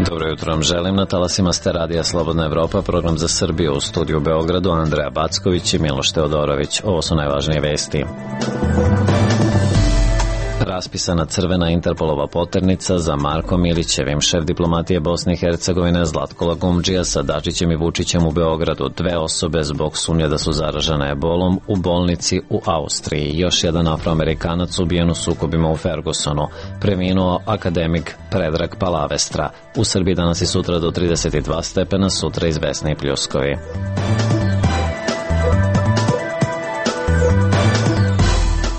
Dobro jutro vam želim. Na talasima ste Radija Slobodna Evropa, program za Srbiju. U studiju u Beogradu Andreja Backović i Miloš Teodorović. Ovo su najvažnije vesti. Raspisana crvena Interpolova poternica za Markom Milićevim. Šef diplomatije Bosne i Hercegovine Zlatko Lagumdžija sa Dačićem i Vučićem u Beogradu. 2 osobe zbog sumnje da su zaražene ebolom u bolnici u Austriji. Još jedan Afroamerikanac ubijen u sukobima u Fergusonu. Preminuo akademik Predrag Palavestra. U Srbiji danas i sutra do 32 stepena, sutra izvesni pljuskovi.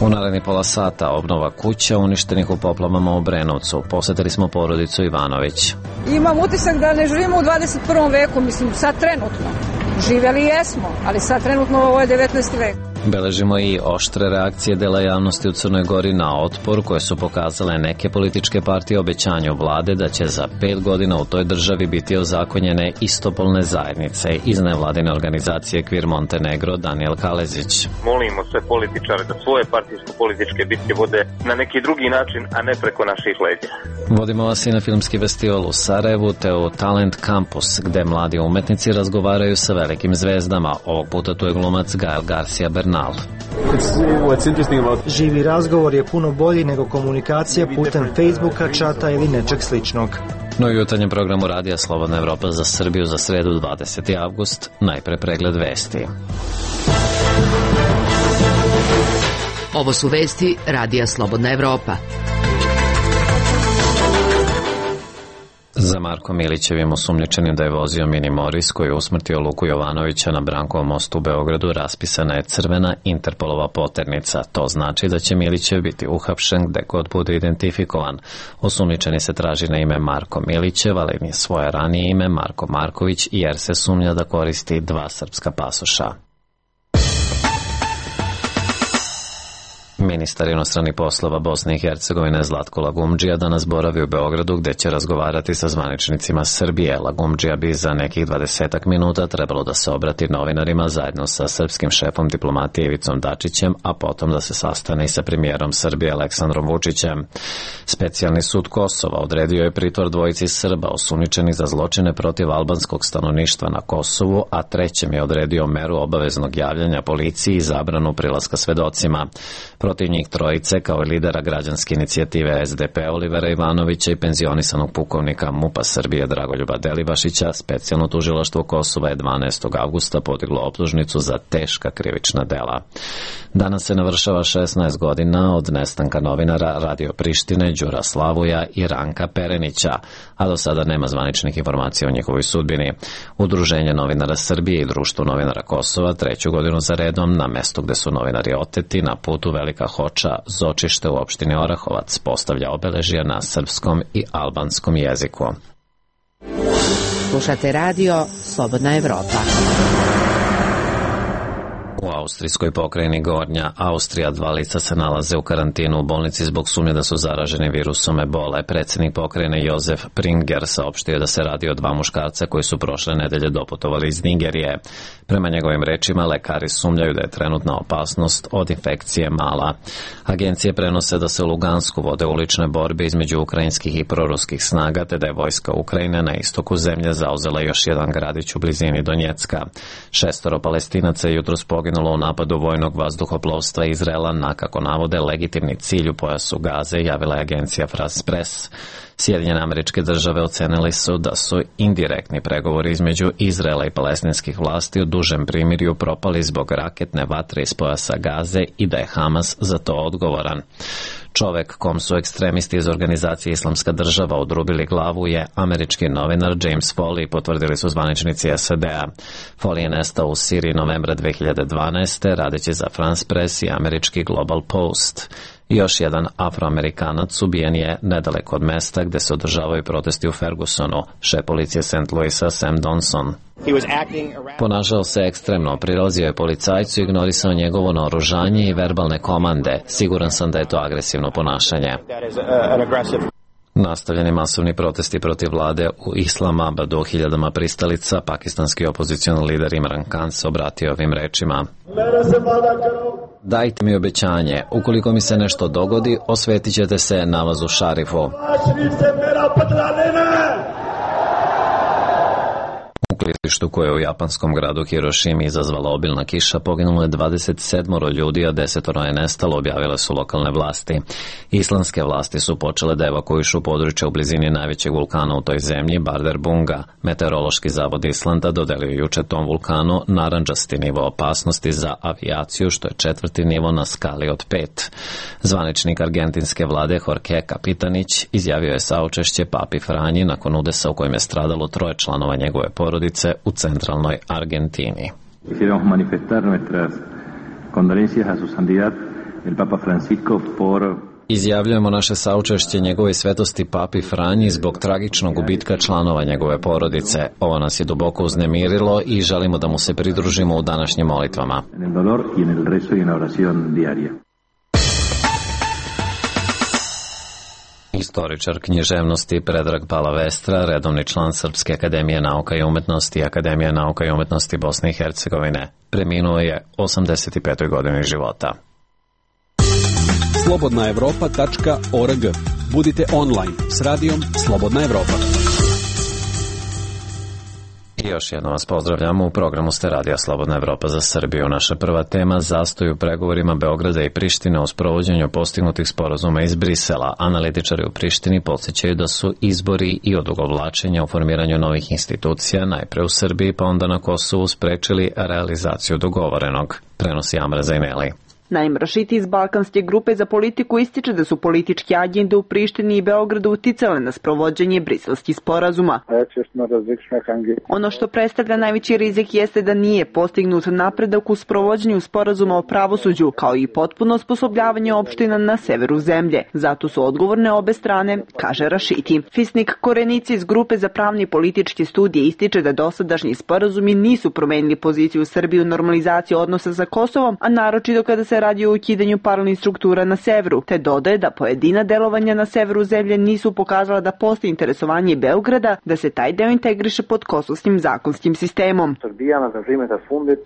U narednih pola sata obnova kuća uništenih u poplavama u Obrenovcu. Posetili smo porodicu Ivanović. Imam utisak da ne živimo u 21. veku, mislim sad trenutno. Živjeli jesmo, ali sad trenutno ovo je 19. vek. Beležimo i oštre reakcije dela javnosti u Crnoj Gori na otpor koje su pokazale neke političke partije obećanju vlade da će za 5 godina u toj državi biti ozakonjene istopolne zajednice. Iz nevladine organizacije Kvir Montenegro Daniel Kalezić. Molimo sve političare da svoje partijsko-političke bitke vode na neki drugi način, a ne preko naših leđa. Vodimo vas i na filmski festival u Sarajevu te u Talent Campus, gde mladi umetnici razgovaraju sa velikim zvezdama. Ovog puta tu je glumac Gael Garcia Bernal. Živi razgovor je puno bolji nego komunikacija putem Facebooka, čata ili nečeg sličnog. No i u jutarnjem programu Radija Slobodna Evropa za Srbiju za sredu 20. avgust, najpre pregled vesti. Ovo su vesti Radija Slobodna Evropa. Za Markom Milićevim, osumnjičenim da je vozio Mini Moris koji je usmrtio Luku Jovanovića na Brankovom mostu u Beogradu, raspisana je crvena Interpolova poternica. To znači da će Milićev biti uhapšen gde god bude identifikovan. Osumnjičeni se traži na ime Marko Milićev, ali ni svoje ranije ime Marko Marković, jer se sumnja da koristi 2 srpska pasoša. Ministar inostranih poslova Bosne i Hercegovine Zlatko Lagumdžija danas boravi u Beogradu gde će razgovarati sa zvaničnicima Srbije. Lagumdžija bi za nekih 20 minuta trebalo da se obrati novinarima zajedno sa srpskim šefom diplomatije Ivicom Dačićem, a potom da se sastane i sa premijerom Srbije Aleksandrom Vučićem. Specijalni sud Kosova odredio je pritvor 2 Srba osumnjičenih za zločine protiv albanskog stanovništva na Kosovu, a 3. je odredio meru obaveznog javljanja policiji i zabranu prilaska svedocima. Protiv njih 3 kao i lidera građanske inicijative SDP Olivera Ivanovića i penzionisanog pukovnika MUP-a Srbije Dragoljuba Delibašića, specijalno tužilaštvo Kosova je 12. avgusta podiglo optužnicu za teška krivična dela. Danas se navršava 16 godina od nestanka novinara Radio Prištine Đura Slavuja i Ranka Perenića, a do sada nema zvaničnih informacija o njihovoj sudbini. Udruženje novinara Srbije i Društvo novinara Kosova 3. godinu za redom na mestu gde su novinari oteti na putu Velika Hoča, Zočište u opštini Orahovac, postavlja obeležja na srpskom i albanskom jeziku. Slušate radio Slobodna Evropa. U austrijskoj pokrajini Gornja Austrija 2 lica se nalaze u karantinu u bolnici zbog sumnje da su zaraženi virusom ebole. Predsjednik pokrajine Jozef Pringer saopštio da se radi o 2 muškarca koji su prošle nedelje doputovali iz Nigerije. Prema njegovim rečima, lekari sumnjaju da je trenutna opasnost od infekcije mala. Agencije prenose da se u Lugansku vode ulične borbe između ukrajinskih i proruskih snaga, te da je vojska Ukrajine na istoku zemlje zauzela još jedan gradić u blizini Donjecka. 6 Palestinaca je jutros poginulo u napadu vojnog vazduhoplovstva Izraela na, kako navode, legitimni cilj u pojasu Gaze, javila je agencija France Press. Sjedinjene Američke Države ocenili su da su indirektni pregovori između Izraela i palestinskih vlasti u dužem primirju propali zbog raketne vatre iz pojasa Gaze i da je Hamas za to odgovoran. Čovek kom su ekstremisti iz organizacije Islamska država odrubili glavu je američki novinar James Foley, potvrdili su zvaničnici SAD-a. Foley je nestao u Siriji novembra 2012. radeći za France Press i američki Global Post. Još jedan Afroamerikanac ubijen je nedaleko od mesta gde se održavaju protesti u Fergusonu, šef policije St. Louisa Sam Donson. Ponašao se ekstremno, prilazio je policajcu i ignorisao njegovo naoružanje i verbalne komande. Siguran sam da je to agresivno ponašanje. Nastavljeni masovni protesti protiv vlade u Islamabadu, hiljadama pristalica, pakistanski opozicioni lider Imran Khan se obratio ovim rečima. Dajte mi obećanje, ukoliko mi se nešto dogodi, osvetit ćete se namazu Šarifu. koje je u japanskom gradu Hirošimi izazvala obilna kiša, poginulo je 27 ljudi, a 10 je nestalo, objavile su lokalne vlasti. Islandske vlasti su počele da evakuišu područje u blizini najvećeg vulkana u toj zemlji, Bardarbunga. Meteorološki zavod Islanda dodelio juče tom vulkanu narandžasti nivo opasnosti za avijaciju, što je 4. nivo na skali od 5. Zvaničnik argentinske vlade Jorge Kapitanić izjavio je saučešće Papi Franji nakon udesa u kojem je stradalo 3 članova njegove porodice u centralnoj Argentini. Quisiéramos manifestar nuestras condolencias a su santidad el Papa Francisco por Izjavljujemo naše saučešće njegovoj svetosti Papi Franji zbog tragičnog gubitka članova njegove porodice. Ovo nas je duboko uznemirilo i želimo da mu se pridružimo u današnjim molitvama. en el dolor y en el rezo y en la oración diaria. Istoričar književnosti Predrag Palavestra, redovni član Srpske akademije nauka i umetnosti i Akademije nauka i umetnosti Bosne i Hercegovine, preminuo je 85. godini života. slobodnaevropa.org. Budite online s radijom Slobodna Evropa. I još jedno vas pozdravljamo, u programu ste Radija Slobodna Evropa za Srbiju. Naša prva tema, zastoj u pregovorima Beograda i Prištine o sprovođenju postignutih sporazuma iz Brisela. Analitičari u Prištini podsjećaju da su izbori i odugovlačenja u formiranju novih institucija, najpre u Srbiji pa onda na Kosovu, sprečili realizaciju dogovorenog, prenosi Amra Zajneli. Naim Rašiti iz Balkanske grupe za politiku ističe da su političke agende u Prištini i Beogradu uticale na sprovođenje briselskih sporazuma. Ono što predstavlja najveći rizik jeste da nije postignut napredak u sprovođenju sporazuma o pravosuđu, kao i potpuno osposobljavanje opština na severu zemlje. Zato su odgovorne obe strane, kaže Rašiti. Fisnik Korenici iz grupe za pravne i političke studije ističe da dosadašnji sporazumi nisu promenili poziciju Srbije u normalizaciji odnosa sa Kosovom, a naročito kada se radi o ukidanju paralelnih struktura na severu, te dodaje da pojedina delovanja na severu zemlje nisu pokazala da postoji interesovanje Beograda da se taj deo integriše pod kosovskim zakonskim sistemom.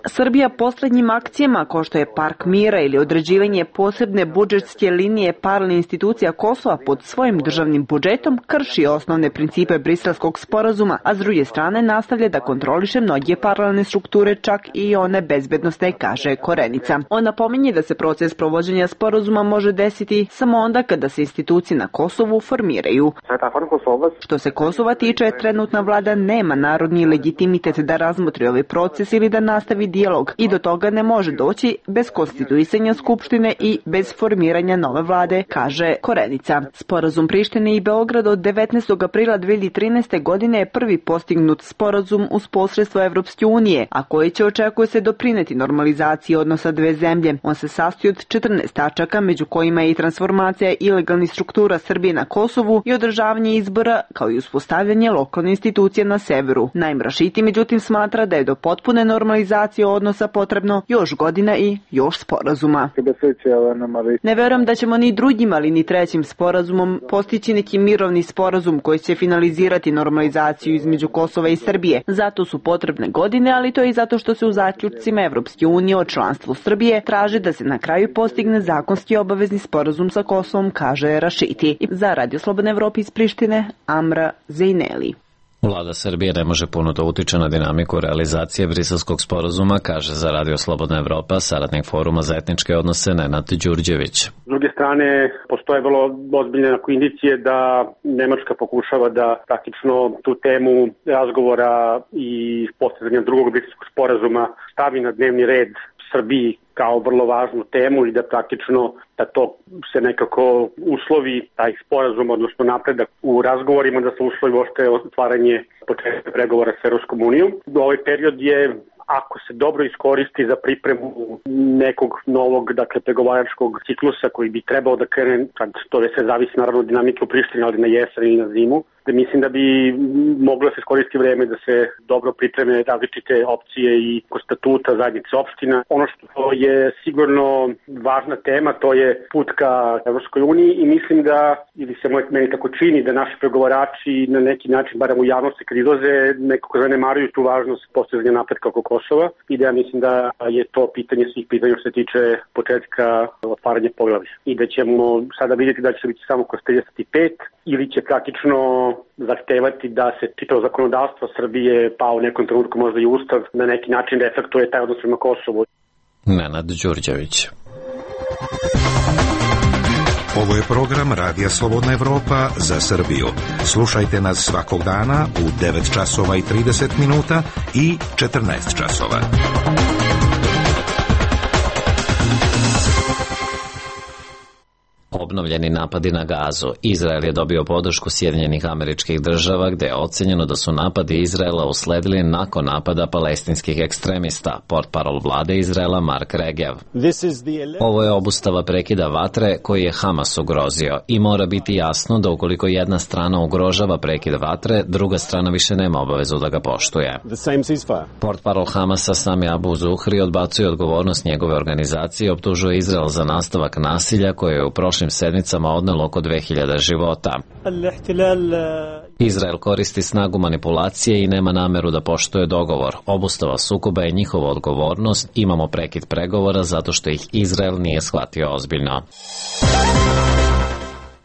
Srbija poslednjim akcijama, kao što je Park mira ili određivanje posebne budžetske linije paralelnih institucija Kosova pod svojim državnim budžetom, krši osnovne principe briselskog sporazuma, a s druge strane nastavlja da kontroliše mnoge paralelne strukture, čak i one bezbednosne, kaže Korenica. On napominje da se proces provođenja sporazuma može desiti samo onda kada se institucije na Kosovu formiraju. Što se Kosova tiče, trenutna vlada nema narodni legitimitet da razmotri ovaj proces ili da nastavi dijalog i do toga ne može doći bez konstituisanja skupštine i bez formiranja nove vlade, kaže Korenica. Sporazum Prištine i Beograda od 19. aprila 2013. godine je prvi postignut sporazum uz posredstvo Evropske unije, a koji će, očekuje se, doprineti normalizaciji odnosa dve zemlje. On se sastoji od 14 tačaka, među kojima je i transformacija ilegalnih struktura Srbije na Kosovu i održavanje izbora, kao i uspostavljanje lokalne institucije na severu. Naim Rašiti međutim smatra da je do potpune normalizacije odnosa potrebno još godina i još sporazuma. Ne verujem da ćemo ni drugim, ali ni trećim sporazumom postići neki mirovni sporazum koji će finalizirati normalizaciju između Kosova i Srbije. Zato su potrebne godine, ali to je i zato što se u zaključcima Evropske unije o članstvu Srbije traži da se na kraju postigne zakonski obavezni sporazum sa Kosovom, kaže Rašiti. Za Radio Slobodna Evropa iz Prištine, Amra Zajneli. Vlada Srbije ne može puno da utiče na dinamiku realizacije briselskog sporazuma, kaže za Radio Slobodna Evropa saradnik Foruma za etničke odnose Nenad Đurđević. S druge strane, postoje vrlo ozbiljne indicije da Nemačka pokušava da praktično tu temu razgovora i postizanja drugog briselskog sporazuma stavi na dnevni red Srbiji kao vrlo važnu temu i da praktično da to se nekako uslovi taj sporazum, odnosno napredak u razgovorima, da se uslovi ošte otvaranje početka pregovora s Evropskom unijom. Ovaj period je, ako se dobro iskoristi za pripremu nekog novog, pregovaračkog ciklusa koji bi trebao da krene, kad to sve zavisi naravno od dinamike u Prištini, ali na jesen ili na zimu, da mislim da bi moglo da se iskoristi vreme da se dobro pripreme različite opcije i statuta zajednice opština. Ono što je sigurno važna tema, to je put ka Evropskoj uniji i mislim da, ili se meni tako čini, da naši pregovarači na neki način, barem u javnosti kad izlaze, nekako zanemaruju tu važnost postizanja napretka oko Kosova i da ja mislim da je to pitanje svih pitanja što se tiče početka otvaranja poglavlja. I da ćemo sada vidjeti da će biti samo kroz 35 ili će praktično zahtevati da se čitavo zakonodavstvo Srbije, pa u nekom trenutku možda i Ustav, na neki način reflektuje taj odnos prema Kosovu. Nenad Đurđević. Ovo je program Radija Slobodna Evropa za Srbiju. Slušajte nas svakog dana u 9 časova i 30 minuta i 14 časova. Obnovljeni napadi na Gazu. Izrael je dobio podršku Sjedinjenih Američkih Država, gde je ocenjeno da su napadi Izraela usledili nakon napada palestinskih ekstremista, portparol vlade Izraela Mark Regev. Ovo je obustava prekida vatre koji je Hamas ugrozio i mora biti jasno da ukoliko jedna strana ugrožava prekid vatre, druga strana više nema obavezu da ga poštuje. Portparol Hamasa Sami Abu Zuhri odbacuje odgovornost njegove organizacije i optužuje Izrael za nastavak nasilja koje je u prošlim sedmicama odnelo oko 2000 života. Izrael koristi snagu manipulacije i nema nameru da poštuje dogovor. Obustava sukoba je njihova odgovornost, imamo prekid pregovora zato što ih Izrael nije shvatio ozbiljno.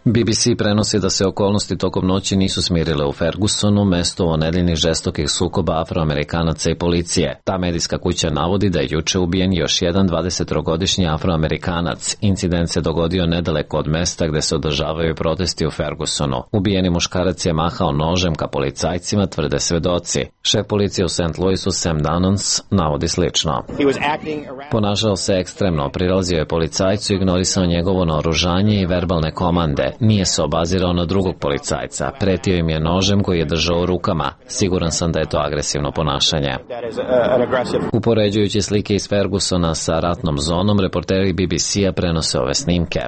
BBC prenosi da se okolnosti tokom noći nisu smirile u Fergusonu, mesto onedeljnih žestokih sukoba Afroamerikanaca i policije. Ta medijska kuća navodi da je juče ubijen još jedan 23-godišnji Afroamerikanac. Incident se dogodio nedaleko od mesta gde se održavaju protesti u Fergusonu. Ubijeni muškarac je mahao nožem ka policajcima, tvrde svedoci. Šef policije u St. Louisu Sam Dannons navodi slično. Ponašao se ekstremno, prilazio je policajcu, ignorisao njegovo naoružanje i verbalne komande. Nije se obazirao na drugog policajca. Pretio im je nožem koji je držao u rukama. Siguran sam da je to agresivno ponašanje. Upoređujući slike iz Fergusona sa ratnom zonom, reporteri BBC-a prenose ove snimke.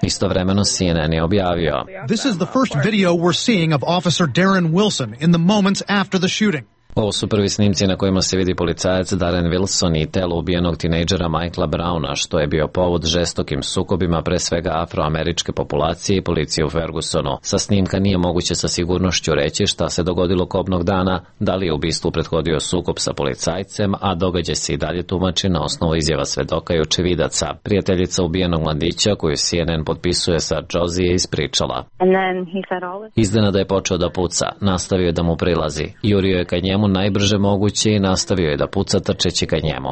Istovremeno CNN je objavio: This is the first video we're seeing of Officer Darren Wilson in the moments after the shooting. Ovo su prvi snimci na kojima se vidi policajac Darren Wilson i telo ubijenog tinejdžera Michaela Browna, što je bio povod žestokim sukobima pre svega afroameričke populacije i policije u Fergusonu. Sa snimka nije moguće sa sigurnošću reći šta se dogodilo kobnog dana, da li je ubistvu prethodio sukob sa policajcem, a događaj se i dalje tumači na osnovu izjava svedoka i očevidaca. Prijateljica ubijenog mladića, koju CNN potpisuje sa Josie, je ispričala. Iznenada je počeo da puca, nastavio je da mu prilazi, jurio je ka njemu najbrže moguće i nastavio je da puca trčeći ka njemu.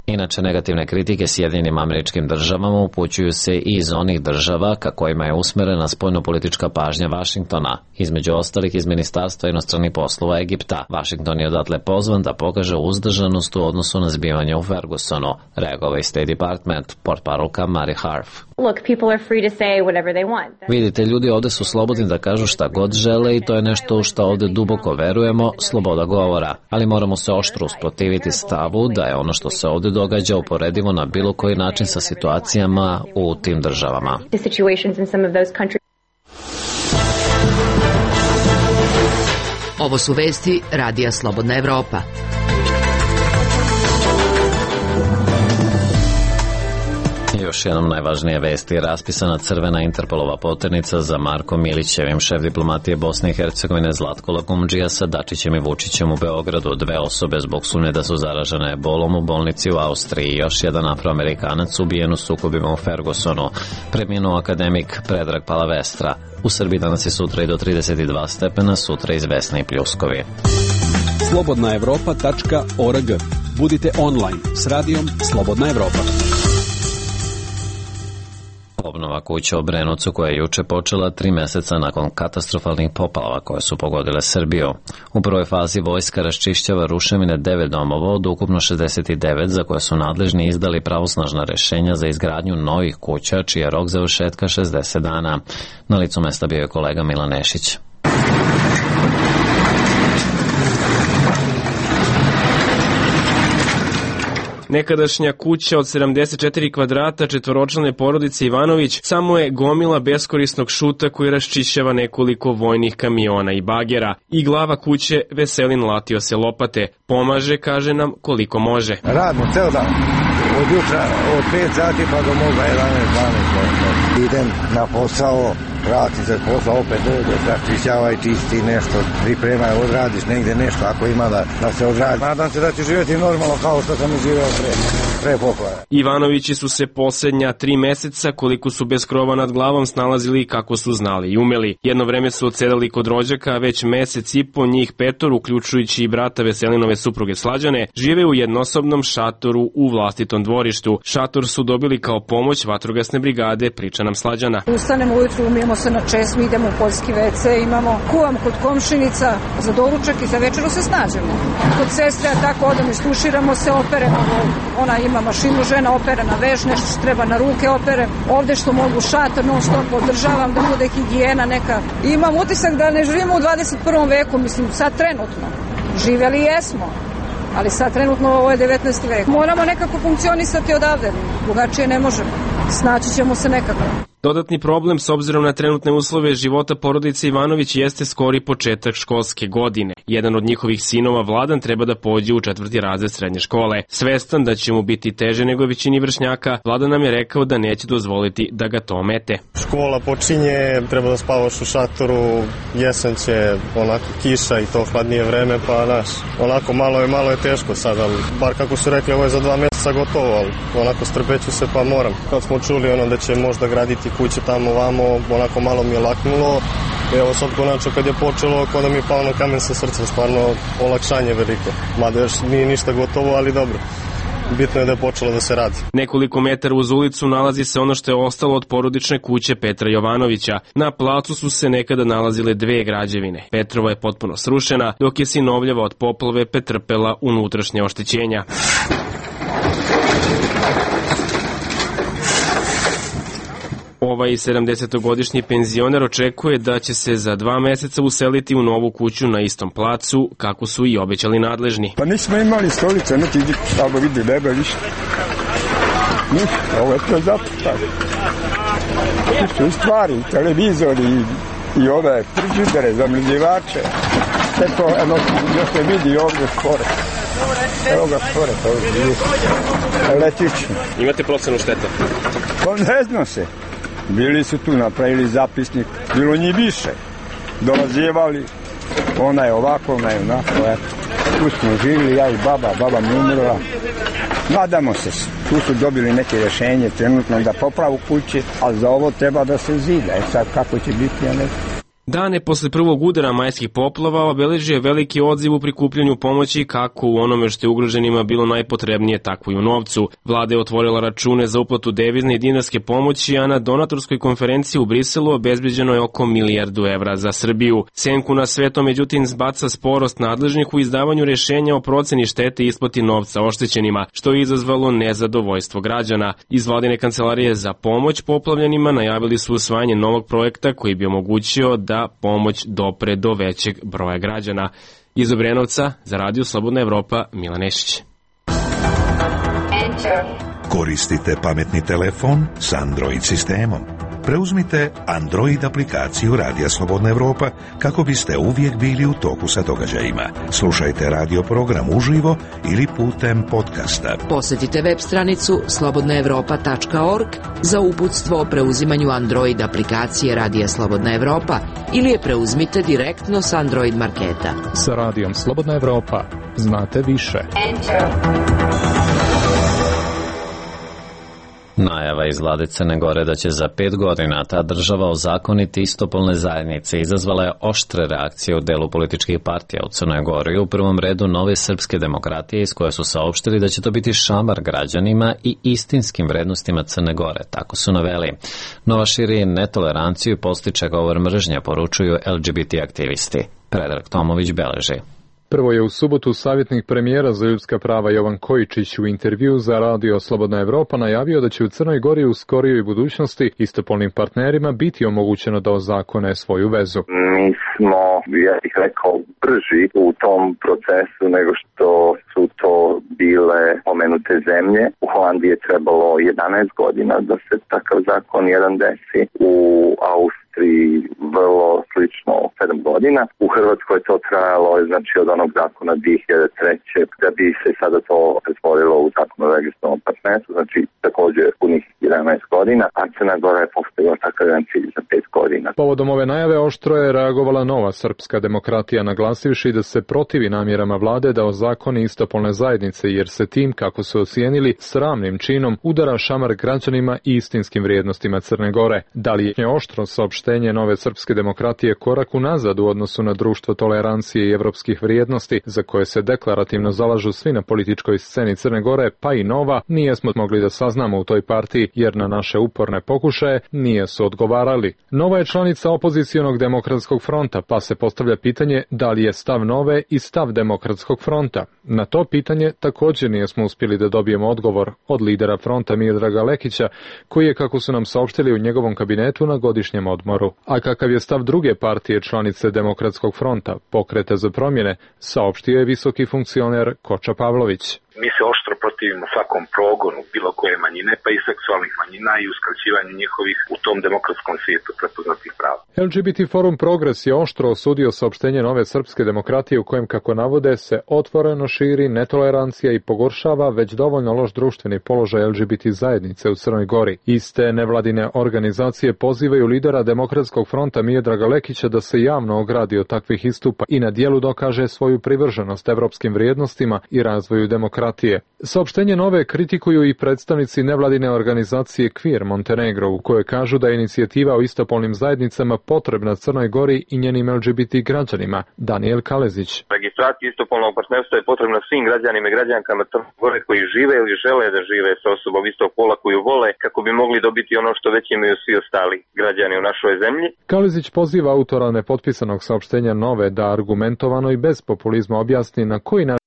Inače, negativne kritike Sjedinjenim Američkim Državama upućuju se i iz onih država ka kojima je usmerena spoljnopolitička pažnja Vašingtona, između ostalih iz Ministarstva inostranih poslova Egipta. Vašington je odatle pozvan da pokaže uzdržanost u odnosu na zbivanje u Fergusonu, reagovao je State Department, portparolka Mary Harf. Vidite, ljudi ovde su slobodni da kažu šta god žele i to je nešto u šta ovde duboko verujemo, sloboda govora. Ali moramo se oštro usprotiviti stavu da je ono što se ovde događa uporedivo na bilo koji način sa situacijama u tim državama. Ovo su vesti Radija Slobodna Evropa. Još jednom najvažnije vesti. Raspisana crvena Interpolova poternica za Markom Milićevim. Šef diplomatije Bosne i Hercegovine Zlatko Lagumdžija sa Dačićem i Vučićem u Beogradu. 2 osobe zbog sumnje da su zaražene ebolom u bolnici u Austriji. Još jedan Afroamerikanac ubijen u sukobima u Fergusonu. Preminuo akademik Predrag Palavestra. U Srbiji danas je sutra i do 32 stepena, sutra izvesni i pljuskovi. slobodnaevropa.org. Budite online s radijom Slobodna Evropa. Obnova kuća u Brenovcu koja je juče počela 3 meseca nakon katastrofalnih poplava koje su pogodile Srbiju. U prvoj fazi vojska raščišćava ruševine 9 domova od ukupno 69 za koje su nadležni izdali pravosnažna rešenja za izgradnju novih kuća čiji je rok završetka 60 dana. Na licu mesta bio je kolega Milan Nešić. Nekadašnja kuća od 74 kvadrata četvoročlane porodice Ivanović samo je gomila beskorisnog šuta koji raščišćava nekoliko vojnih kamiona i bagera. I glava kuće Veselin Latio se lopate. Pomaže, kaže nam, koliko može. Radimo ceo dan. Od jutra od 5 sati pa do moga 11-12. Idem na posao, vrati se posao, opet dođe, raščišćavaj, čisti nešto, pripremaj, odradiš negdje nešto ako ima da se odradi. Nadam se da će živjeti normalno kao što sam živio pre poplave. Ivanovići su se posljednja 3 meseca, koliko su bez krova nad glavom, snalazili kako su znali i umeli. Jedno vreme su odsedali kod rođaka, a već mesec i po njih 5, uključujući i brata Veselinove supruge Slađane, žive u jednosobnom šatoru u vlastitom dvorištu. Šator su dobili kao pomoć vatrogasne brigade, priča nam Slađana. Ustanemo ujutru, umijemo se na česmi, idemo u poljski WC, imamo kuvam kod komšinica, za doručak i za večeru se snađemo. Kod sestre, a tako odem, istuširamo se, operemo, ona ima mašinu, žena opere na veš, nešto što treba na ruke opere, ovde što mogu šator, non stop održavam da bude higijena neka. Imam utisak da ne živimo u 21. veku, mislim, sad trenutno. Živjeli jesmo, ali sad trenutno ovo je 19. vek. Moramo nekako funkcionisati odavde, drugačije ne možemo. Snaći ćemo se nekako. Dodatni problem s obzirom na trenutne uslove života porodice Ivanović jeste skori početak školske godine. Jedan od njihovih sinova, Vladan, treba da pođe u 4. razred srednje škole. Svestan da će mu biti teže nego većini vršnjaka, Vladan nam je rekao da neće dozvoliti da ga to omete. Škola počinje, treba da spavaš u šatoru, jesen će, onako kiša i to hladnije vreme, pa znaš, onako malo je teško sad, ali bar kako su rekli, ovo je za 2 mjeseca gotovo, ali onako strpeću se pa moram. Kad smo čuli da će možda graditi kuće tamo vamo, onako malo mi je laknulo. Evo sad konačno kad je počelo, kao da mi je pao na kamen sa srca, stvarno olakšanje veliko. Mada još nije ništa gotovo, ali dobro. Bitno je da je počelo da se radi. Nekoliko metara uz ulicu nalazi se ono što je ostalo od porodične kuće Petra Jovanovića. Na placu su se nekada nalazile 2 građevine. Petrova je potpuno srušena, dok je sinovljeva od poplave pretrpela unutrašnje oštećenja. Ovaj 70-godišnji penzioner očekuje da će se za 2 meseca useliti u novu kuću na istom placu, kako su i obećali nadležni. Pa nismo imali stolice, neki tamo vidi nebe, ništa. Ništa, ovo je to zapuštano. Tu su i stvari, televizori i ove frižidere, zamrzivače. Sve to, još se vidi ovdje skoro. Evo ga skoro, to je električno. Imate procenu štete? Pa ne znam se. Bili su tu, napravili zapisnik, bilo njih više. Dolazivali, ona je ovako, ona je onako, eto. Tu smo živili, ja i baba mi umrla. Nadamo se, tu su dobili neke rješenje trenutno da popravu kući, ali za ovo treba da se zida. Sad kako će biti, ja ne znam. Dane posle prvog udara majskih poplava obeležio je veliki odziv u prikupljanju pomoći kako u onome što je ugroženima bilo najpotrebnije, tako i u novcu. Vlada je otvorila račune za uplatu devizne i dinarske pomoći, a na donatorskoj konferenciji u Briselu obezbeđeno je oko 1 milijardu evra za Srbiju. Senku na sve to međutim zbaca sporost nadležnih u izdavanju rješenja o proceni štete i isplati novca oštećenima, što je izazvalo nezadovoljstvo građana. Iz Vladine kancelarije za pomoć poplavljenima najavili su usvajanje novog projekta koji bi omogućio da pomoć dopre do većeg broja građana. Iz Obrenovca za Radio Slobodna Evropa, Milan Nešić. Koristite pametni telefon s Android sistemom. Preuzmite Android aplikaciju Radija Slobodna Evropa kako biste uvijek bili u toku sa događajima. Slušajte radio program uživo ili putem podcasta. Posjetite web stranicu slobodnaevropa.org za uputstvo o preuzimanju Android aplikacije Radija Slobodna Evropa ili je preuzmite direktno s Android marketa. Sa Radijom Slobodna Evropa znate više. Najava iz vlade Crne Gore da će za 5 godina ta država ozakoniti istopolne zajednice izazvala je oštre reakcije u delu političkih partija u Crnoj Gori, u prvom redu Nove srpske demokratije, iz koje su saopštili da će to biti šamar građanima i istinskim vrednostima Crne Gore, tako su naveli. Nova širi netoleranciju i podstiče govor mržnje, poručuju LGBT aktivisti. Predrag Tomović beleži. Prvo je u subotu savjetnik premijera za ljudska prava Jovan Kojičić u intervju za Radio Slobodna Evropa najavio da će u Crnoj Gori u skorijoj budućnosti istopolnim partnerima biti omogućeno da ozakone svoju vezu. Mi smo, ja bih rekao, brži u tom procesu nego što su to bile pomenute zemlje. U Holandiji je trebalo 11 godina da se takav zakon jedan desi. U Austriji Austriji vrlo slično 7 godina. U Hrvatskoj je to trajalo znači od onog zakona 2003. da bi se sada to pretvorilo u zakon o registrovanom partnerstvu, znači također punih 11 godina, a Crna Gora je postavila takav jedan cilj za 5 godina. Povodom ove najave oštro je reagovala Nova srpska demokratija, naglasivši da se protivi namjerama vlade da ozakoni istopolne zajednice, jer se tim, kako su ocijenili, sramnim činom udara šamar građanima i istinskim vrijednostima Crne Gore. Da li je oštro saopštenje Nove srpske demokratije korak unazad u odnosu na društvo tolerancije i evropskih vrijednosti, za koje se deklarativno zalažu svi na političkoj sceni Crne Gore, pa i Nova, nijesmo mogli da saznamo u toj partiji, jer na naše uporne pokušaje nije su odgovarali. Nova je članica opozicionog demokratskog fronta, pa se postavlja pitanje da li je stav Nove i stav demokratskog fronta. Na to pitanje također nijesmo uspjeli da dobijemo odgovor od lidera fronta Miodraga Lekića, koji je, kako su nam saopštili, u njegovom kabinetu na godišnjem odmoru. A kakav je stav druge partije članice Demokratskog fronta, Pokreta za promjene, saopštio je visoki funkcioner Koča Pavlović. Mi se oštro protivimo svakom progonu bilo koje manjine, pa i seksualnih manjina i uskraćivanju njihovih u tom demokratskom svijetu prepoznatih prava. LGBT Forum Progres je oštro osudio saopštenje Nove srpske demokratije u kojem, kako navode, se otvoreno širi netolerancija i pogoršava već dovoljno loš društveni položaj LGBT zajednice u Crnoj Gori. Iste nevladine organizacije pozivaju lidera Demokratskog fronta Miodraga Lekića da se javno ogradi od takvih istupa i na dijelu dokaže svoju privrženost evropskim vrijednostima i razvoju demokratije. Saopštenje Nove kritikuju i predstavnici nevladine organizacije Queer Montenegro, u kojoj kažu da je inicijativa o istopolnim zajednicama potrebna Crnoj Gori i njenim LGBT građanima. Daniel Kalezić. Registracija istopolnog partnerstva je potrebna svim građanima i građankama Crne Gore koji žive ili žele da žive sa osobom istog pola koju vole, kako bi mogli dobiti ono što već imaju svi ostali građani u našoj zemlji. Kalezić poziva autora nepotpisanog saopštenja Nove da argumentovano i bez populizma objasni na koji način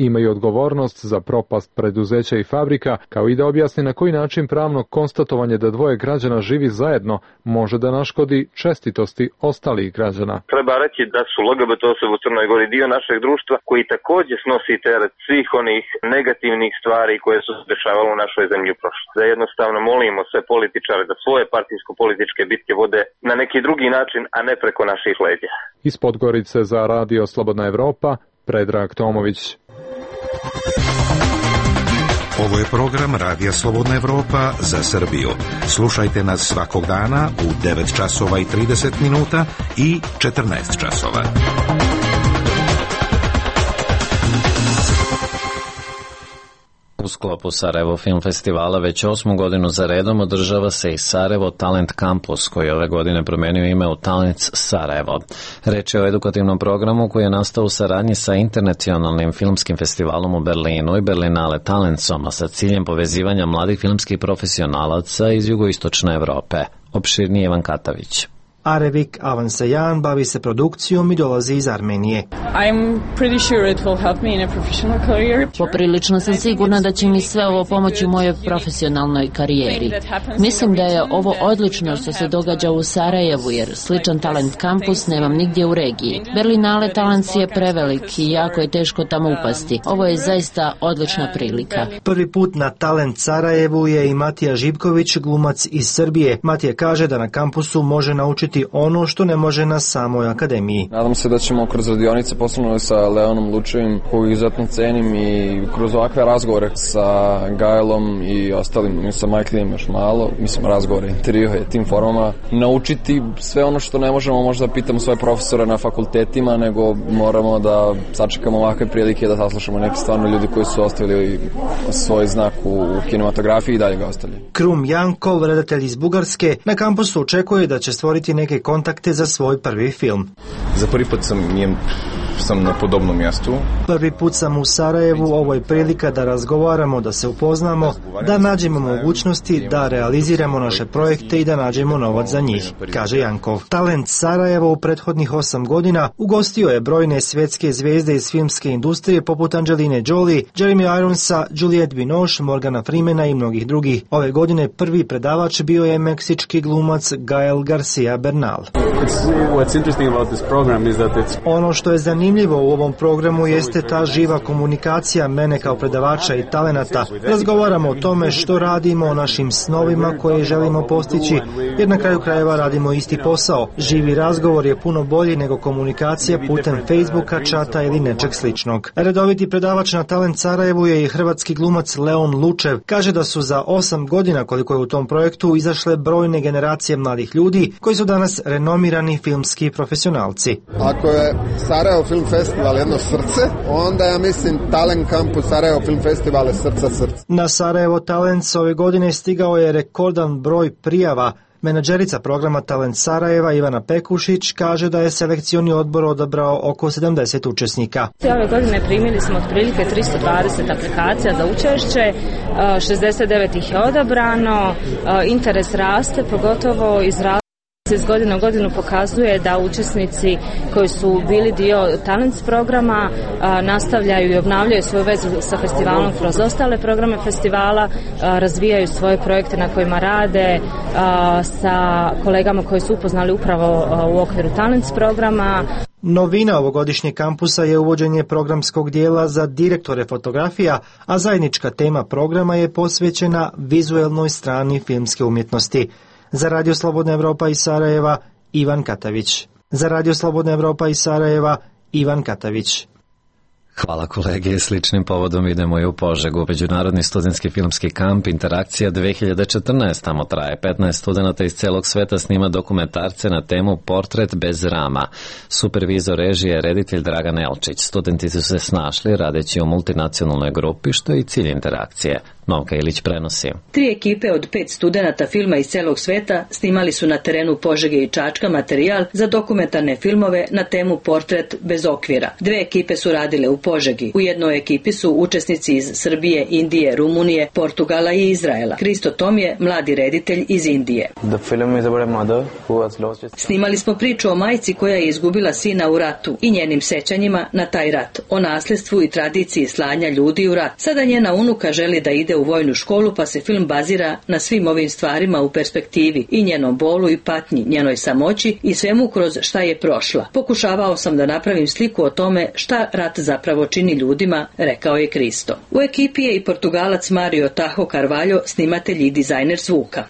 imaju odgovornost za propast preduzeća i fabrika, kao i da objasni na koji način pravno konstatovanje da dvoje građana živi zajedno može da naškodi čestitosti ostalih građana. Treba reći da su LGBT osobe u Crnoj Gori dio našeg društva koji također snosi teret svih onih negativnih stvari koje su se dešavale u našoj zemlji u prošlosti. Da jednostavno molimo sve političare da svoje partijsko-političke bitke vode na neki drugi način, a ne preko naših leđa. Iz Podgorice za Radio Slobodna Evropa, Predrag Tomović. Ovo je program Radija Slobodna Evropa za Srbiju. Slušajte nas svakog dana u 9 časova i 30 minuta i 14 časova. U sklopu Sarajevo Film Festivala već 8. godinu za redom održava se i Sarajevo Talent Campus, koji ove godine promenio ime u Talents Sarajevo. Reč je o edukativnom programu koji je nastao u saradnji sa Internacionalnim filmskim festivalom u Berlinu i Berlinale Talentsom, a sa ciljem povezivanja mladih filmskih profesionalaca iz jugoistočne Evrope. Opširnije Ivan Katavić. Arevik Avansajan bavi se produkcijom i dolazi iz Armenije. Poprilično sam sigurna da će mi sve ovo pomoći u mojoj profesionalnoj karijeri. Mislim da je ovo odlično što se događa u Sarajevu, jer sličan talent kampus nemam nigdje u regiji. Berlinale Talents je prevelik i jako je teško tamo upasti. Ovo je zaista odlična prilika. Prvi put na Talent Sarajevu je i Matija Živković, glumac iz Srbije. Matija kaže da na kampusu može naučiti ono što ne može na samoj akademiji. Nadam se da ćemo kroz radionice, posebno sa Leonom Lučevim, koju izuzetno cenim, i kroz ovakve razgovore sa Gajlom i ostalim, sa Majklijem još malo, mislim razgovore, intervjue, tim formama, naučiti sve ono što ne možemo možda pitamo svoje profesore na fakultetima, nego moramo da sačekamo ovakve prilike da saslušamo neke stvarno ljudi koji su ostavili svoj znak u kinematografiji i dalje ga ostavljaju. Krum Jankov, redatelj iz Bugarske, na kampusu očekuje da će stvoriti neke kontakte za svoj prvi film. Za prvi put sam na podobnom mjestu. Prvi put sam u Sarajevu, ovo je prilika da razgovaramo, da se upoznamo, da nađemo mogućnosti, da realiziramo naše projekte i da nađemo novac za njih, kaže Jankov. Talent Sarajevo u prethodnih 8 godina ugostio je brojne svjetske zvijezde iz filmske industrije poput Angeline Jolie, Jeremy Ironsa, Juliette Binoche, Morgana Freemana i mnogih drugih. Ove godine prvi predavač bio je meksički glumac Gael Garcia Bernal. What's interesting about this program is that it's... Ono što je zanimljivo zanimljivo u ovom programu jeste ta živa komunikacija mene kao predavača i talenata. Razgovaramo o tome što radimo, o našim snovima koje želimo postići, jer na kraju krajeva radimo isti posao. Živi razgovor je puno bolji nego komunikacija putem Facebooka, čata ili nečeg sličnog. Redoviti predavač na Talent Sarajevu je i hrvatski glumac Leon Lučev. Kaže da su za 8 godina koliko je u tom projektu izašle brojne generacije mladih ljudi koji su danas renomirani filmski profesionalci. Ako je Sarajevo Film Festival jedno srce, onda ja mislim Talent Campus Sarajevo Film Festival je srca. Na Sarajevo Talents ove godine stigao je rekordan broj prijava. Menadžerica programa Talent Sarajeva Ivana Pekušić kaže da je selekcioni odbor odabrao oko 70 učesnika. Ove godine primili smo otprilike 320 aplikacija za učešće, 69 ih je odabrano, interes raste, pogotovo iz godine u godinu pokazuje da učesnici koji su bili dio Talents programa nastavljaju i obnavljaju svoju vezu sa festivalom kroz ostale programe festivala, razvijaju svoje projekte na kojima rade sa kolegama koji su upoznali upravo u okviru Talents programa. Novina ovogodišnjeg kampusa je uvođenje programskog dijela za direktore fotografija, a zajednička tema programa je posvećena vizuelnoj strani filmske umjetnosti. Za Radio Slobodna Evropa iz Sarajeva, Ivan Katavić. Za Radio Slobodna Evropa iz Sarajeva, Ivan Katavić. Hvala kolege, sličnim povodom idemo i u Požegu. Međunarodni studentski filmski kamp Interakcija 2014. Tamo traje 15 studenata iz celog sveta snima dokumentarce na temu Portret bez rama. Supervizor režije je reditelj Dragan Elčić. Studenti su se snašli radeći u multinacionalnoj grupi, što je i cilj interakcije. Novka Ilić prenosi. 3 ekipe od 5 studenata filma iz celog sveta snimali su na terenu Požege i Čačka materijal za dokumentarne filmove na temu Portret bez okvira. 2 ekipe su radile u Požegi. U jednoj ekipi su učesnici iz Srbije, Indije, Rumunije, Portugala i Izraela. Kristo Tom je mladi reditelj iz Indije. Snimali smo priču o majci koja je izgubila sina u ratu i njenim sećanjima na taj rat, o nasljedstvu i tradiciji slanja ljudi u rat. Sada njena unuka želi da ide u vojnu školu, pa se film bazira na svim ovim stvarima u perspektivi i njenom bolu i patnji, njenoj samoći i svemu kroz šta je prošla. Pokušavao sam da napravim sliku o tome šta rat zapravo čini ljudima, rekao je Kristo. U ekipi je i Portugalac Mario Taho Carvalho, snimatelj i dizajner zvuka.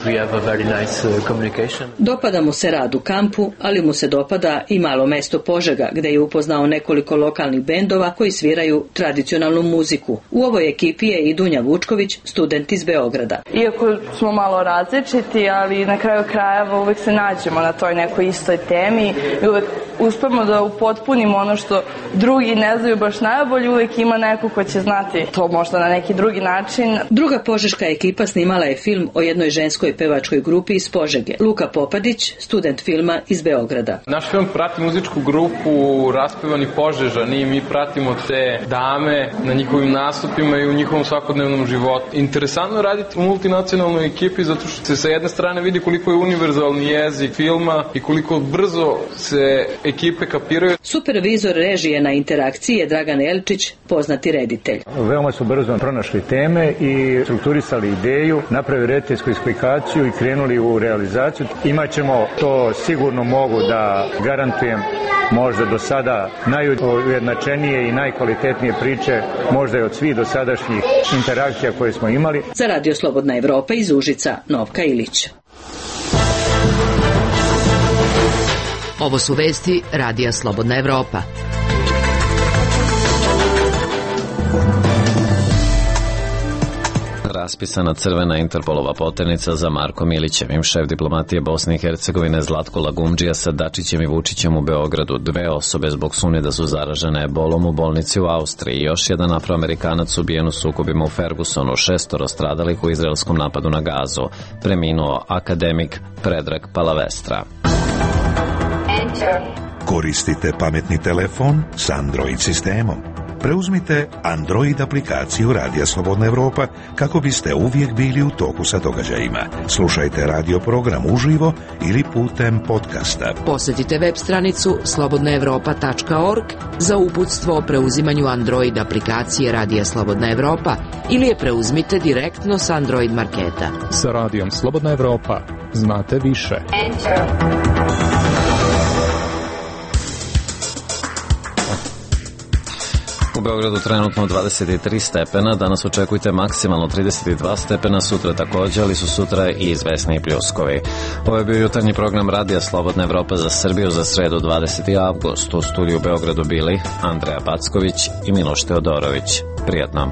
Dopada mu se rad u kampu, ali mu se dopada i malo mesto Požega, gde je upoznao nekoliko lokalnih bendova koji sviraju tradicionalnu muziku. U ovoj ekipi je i Dunja Vučković, student iz Beograda. Iako smo malo različiti, ali na kraju krajeva uvek se nađemo na toj nekoj istoj temi i uvek uspemo da upotpunimo ono što drugi ne znaju baš najbolje, uvek ima neko ko će znati to možda na neki drugi način. Druga požeška ekipa snimala je film o jednoj ženskoj pevačkoj grupi iz Požege. Luka Popadić, student filma iz Beograda. Naš film prati muzičku grupu Raspevani Požežani i mi pratimo te dame na njihovim nastupima i u njihovom svakodnevnom životu. Interesantno je raditi u multinacionalnoj ekipi zato što se sa jedne strane vidi koliko je univerzalni jezik filma i koliko brzo se ekipe kapiraju. Supervizor režije na Interakciji je Dragan Elčić, poznati reditelj. Veoma su brzo pronašli teme i strukturisali ideju, napravili rediteljsku eksplikaciju i krenuli u realizaciju. Imaćemo, to sigurno mogu da garantujem, možda do sada najujednačenije i najkvalitetnije priče, možda i od svih dosadašnjih interakcija koje smo imali. Za Radio Slobodna Evropa iz Užica, Novka Ilić. Ovo su vesti Radija Slobodna Evropa. Raspisana crvena Interpolova poternica za Markom Milićevim. Šef diplomatije Bosne i Hercegovine Zlatko Lagumdžija sa Dačićem i Vučićem u Beogradu. 2 osobe zbog sumnje da su zaražene ebolom u bolnici u Austriji. Još jedan Afroamerikanac ubijen u sukobima u Fergusonu. 6 stradalih u izraelskom napadu na Gazu. Preminuo akademik Predrag Palavestra. Koristite pametni telefon s Android sistemom. Preuzmite Android aplikaciju Radija Slobodna Evropa kako biste uvijek bili u toku sa događajima. Slušajte radio program uživo ili putem podcasta. Posjetite web stranicu slobodnaevropa.org za uputstvo o preuzimanju Android aplikacije Radija Slobodna Evropa ili je preuzmite direktno s Android marketa. Sa Radijom Slobodna Evropa znate više. U Beogradu trenutno 23 stepena, danas očekujte maksimalno 32 stepena, sutra takođe, ali su sutra i izvesni pljuskovi. Ovo je bio jutarnji program Radija Slobodna Evropa za Srbiju za sredu 20. avgust. U studiju u Beogradu bili Andreja Backović i Miloš Teodorović. Prijatno.